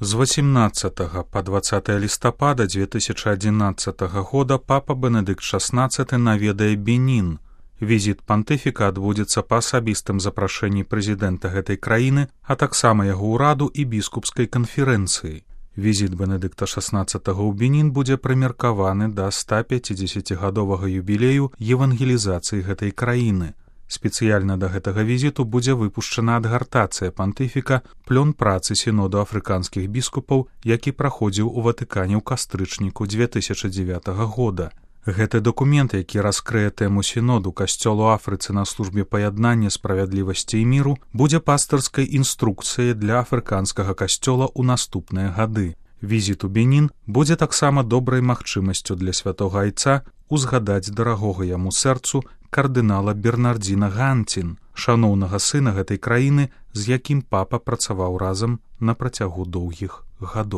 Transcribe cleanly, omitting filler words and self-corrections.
З 18 па 20 лістапада 2011 года папа Бенедыкт XVI наведае Бенін. Візіт пантыфіка адбудзецца па асабістым запрашэнні прэзідэнта гэтай краіны, а таксама яго ўраду і біскупскай канферэнцыі. Візіт Бенедыкта XVI ў Бенін будзе прымеркаваны да 150-гадовага юбілею евангелізацыі гэтай краіны. Спецыяльна да гэтага візіту будзе выпушчана адгартацыя пантыфіка плён працы сіноду афрыканскіх біскупаў, які праходзіў у Ватыкане ў кастрычніку 2009 года. Гэты дакумент, які раскрые тэму сіноду касцёлу Афрыцы на службе паяднання, справядлівасці і міру, будзе пастырскай інструкцыяй для афрыканскага касцёла ў наступныя гады. Візіт у Бенін будзе таксама добрай магчымасцю для святога айца узгадаць дарагога яму сэрцу кардынала Бернардзіна Ганцін, шаноўнага сына гэтай краіны, з якім папа працаваў разам на працягу доўгіх гадоў.